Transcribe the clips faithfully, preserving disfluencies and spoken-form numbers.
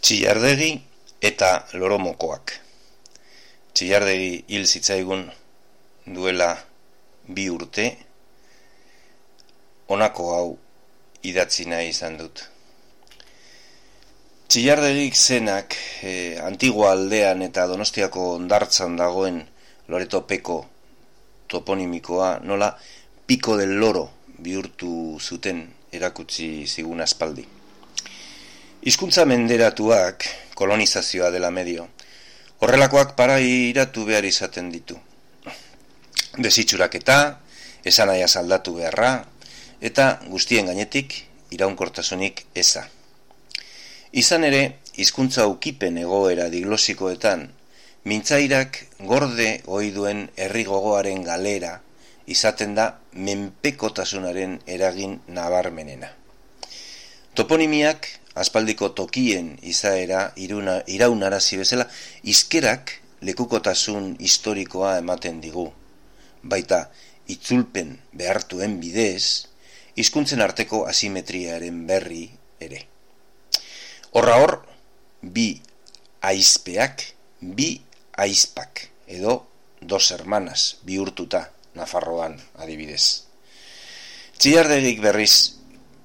Txillardegi eta loromokoak. Txillardegi hil zitzaigun duela bi urte, honako hau idatzi nahi izan dut. Txillardegik zenak eh, Antigua aldean eta Donostiako hondartzan dagoen Loretopeko toponimikoa nola Pico del Loro bihurtu zuten erakutsi zigun aspaldi. Hizkuntza menderatuak kolonizazioa dela medio. Horrelakoak parairatu behar izaten ditu. Desitxuraketa, esanahia aldatu beharra, eta guztien gainetik iraunkortasunik eza. Izan ere, hizkuntza ukipen egoera diglosikoetan, mintzairak gorde ohi duen herri gogoaren galera izaten da menpekotasunaren eragin nabarmenena. Toponimiak aspaldiko tokien izaera iruna, iraunarazi bezala, hizkerak lekukotasun historikoa ematen digu. Baita, itzulpen behartuen bidez, hizkuntzen arteko asimetriaren berri ere. Horra hor, bi aizpeak, bi aizpak, edo dos hermanas bihurtuta Nafarroan adibidez. Txillardegik berriz,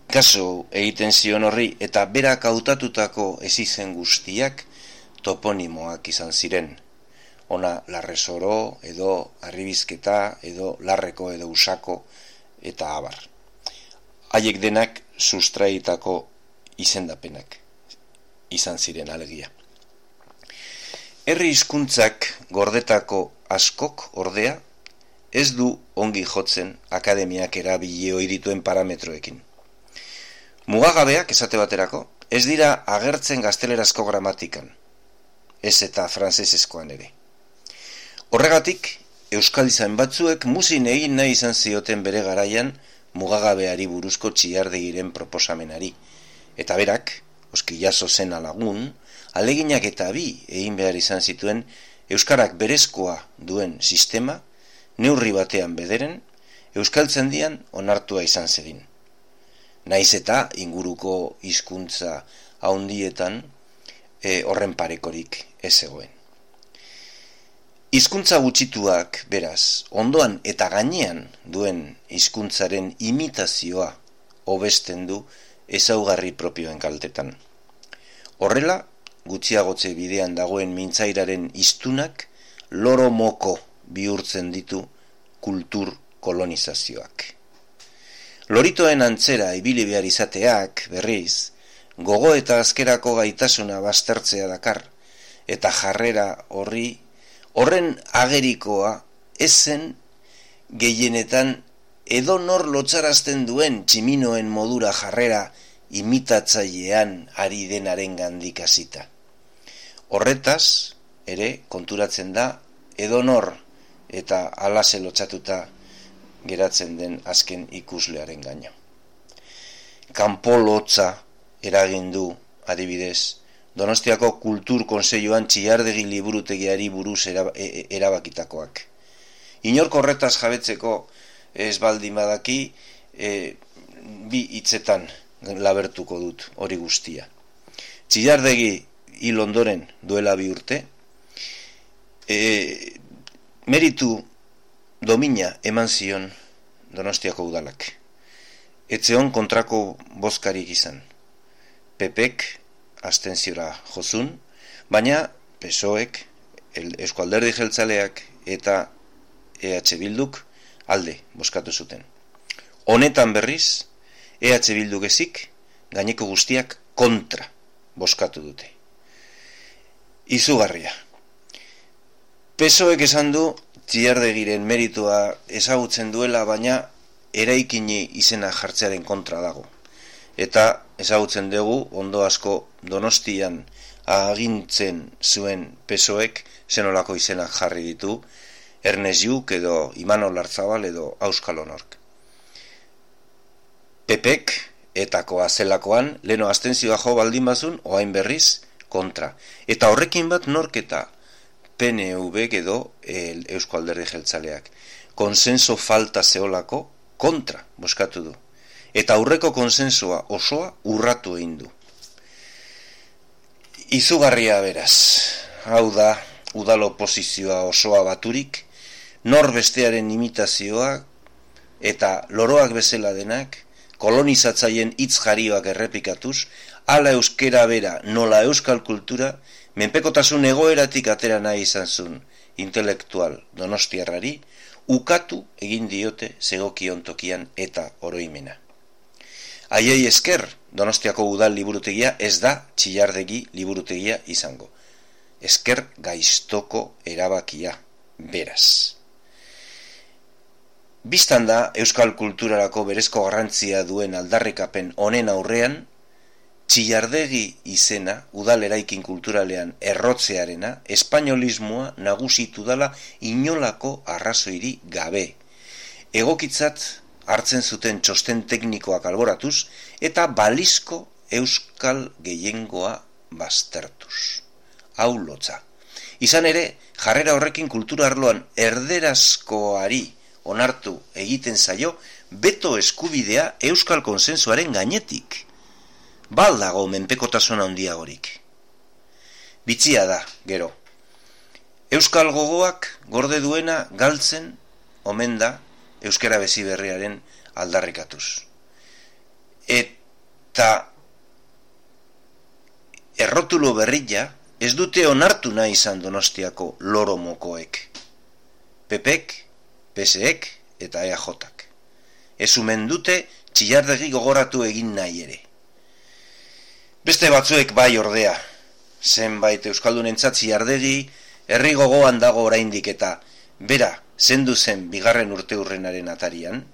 kaso egiten zion horri eta berak hautatutako ezizen guztiak toponimoak izan ziren. Ona Larresoro, edo Arribizketa, edo Larreko, edo Usako, eta abar. Haiek denak sustraitako izendapenak izan ziren alegia. Herri hizkuntzak gordetako askok ordea ez du ongi jotzen akademiak erabili ohi dituen parametroekin. Mugagabeak esate baterako ez dira agertzen gaztelerazko gramatikan, ez eta frantsesezkoan ere. Horregatik, euskal izan batzuek muzin egin nahi izan zioten bere garaian mugagabeari buruzko Txillardegiren proposamenari, eta berak, oskillazo zen lagun, aleginak eta bi egin behar izan zituen euskarak berezkoa duen sistema, neurri batean bederen, euskaltzendian onartua izan zedin. Naiz eta inguruko hizkuntza haundietan e, horren parekorik ez zegoen. Hizkuntza gutxituak, beraz, ondoan eta gainean duen hizkuntzaren imitazioa hobesten du ezaugarri propioen kaltetan. Horrela, gutxiagotze bidean dagoen mintzairaren hiztunak loromoko bihurtzen ditu kultur kolonizazioak. Loritoen antzera ibili behar izateak, berriz, gogo eta azkerako gaitasuna baztertzea dakar, eta jarrera horri, horren agerikoa ezen gehienetan edonor lotsarazten duen tximinoen modura jarrera imitatzailean ari denaren gandik hasita. Horretaz, ere, konturatzen da, edonor eta alase lotsatuta geratzen den azken ikuslearen gaino. Kanpo lotza eragin du, adibidez, Donostiako Kultur Kontseiluan Txillardegi liburutegiari buruz erabakitakoak. Inork horretaz jabetzeko ez baldin badaki, e, bi hitzetan labertuko dut hori guztia. Txillardegi hil ondoren duela bi urte, e, meritu domina eman zion Donostiako udalak. Etzeon kontrako bozkarik izan. Pepek abstentziora jozun, baina P S O ek, Eusko Alderdi Jeltzaleak eta E H Bilduk alde bozkatu zuten. Honetan berriz, E H Bilduk ezik, gaineko guztiak kontra bozkatu dute. Izugarria. P S O ek esan du Txillardegiren meritua ezagutzen duela, baina eraikini izena jartzearen kontra dago. Eta ezagutzen dugu ondo asko Donostian agintzen zuen P S O ek zenolako izenak jarri ditu, Ernest Lluch edo Imanol Larzabal edo Auskalo Nork. Pepek etakoa zelakoan leno abstentzioa jo baldin bazun, oain berriz kontra. Eta horrekin bat nork eta P N V edo el Eusko Alderdi Jeltzaleak. Konsenso falta zeolako kontra bozkatu du. Eta aurreko konsensua osoa urratu egin du. Izugarria beraz, hau da, udalo posizioa osoa baturik, nor bestearen imitazioa eta loroak bezala denak, kolonizatzaien hitz jarioak errepikatuz, ala euskera bera nola euskal kultura, menpekotasun egoeratik atera nahi izan zuen intelektual donostiarrari, ukatu egin diote zegokion tokian eta oroimena. Haiei esker, Donostiako udal liburutegia ez da Txillardegi liburutegia izango. Esker gaiztoko erabakia, beraz. Bistan da, euskal kulturarako berezko garrantzia duen aldarrikapen honen aurrean, Txillardegi izena udal eraikin kulturalean errotzearena, espainolismoa nagusitu dala inolako arrazoiri gabe. Egokitzat hartzen zuten txosten teknikoak alboratuz eta balizko euskal gehiengoa baztertuz. Hau lotza. Izan ere, jarrera horrekin kultura arloan erderazkoari onartu egiten zaio beto eskubidea euskal konsensuaren gainetik. Bal dago menpekotasun handiagorik. Bitxia da, gero. Euskal gogoak gorde duena galtzen omen da euskara bezi berriaren aldarrikatuz. Eta errotulo berria ez dute onartu nahi izan Donostiako loro mokoek. Pepek, P S ek eta E A Jok. Ez umen dute Txillardegi gogoratu egin nahi ere. Beste batzuek bai ordea, zenbait euskaldunentzat Txillardegi herri gogoan dago oraindik eta bera zendu zen bigarren urteurrenaren atarian,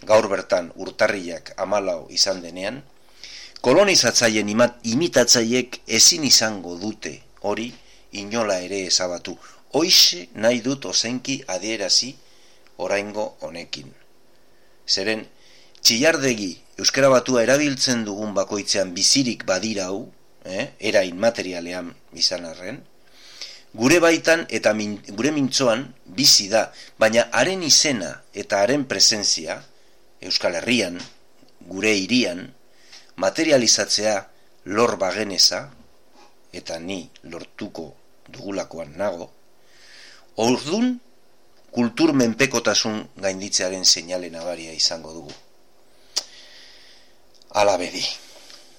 gaur bertan urtarriak hamalau izan denean, kolonizatzaien imitatzaiek ezin izango dute hori inola ere ezabatu. Hoixe nahi dut ozenki adierazi oraingo honekin. Zeren, Txillardegi euskara batua erabiltzen dugun bakoitzean bizirik badirau, eh, era inmaterialean izan arren, gure baitan eta min, gure mintzoan bizi da, baina haren izena eta haren presentzia, Euskal Herrian, gure hirian, materializatzea lor bageneza, eta ni lortuko dugulakoan nago, ordun kultur menpekotasun gainditzearen seinale nabaria izango dugu. Hala bedi.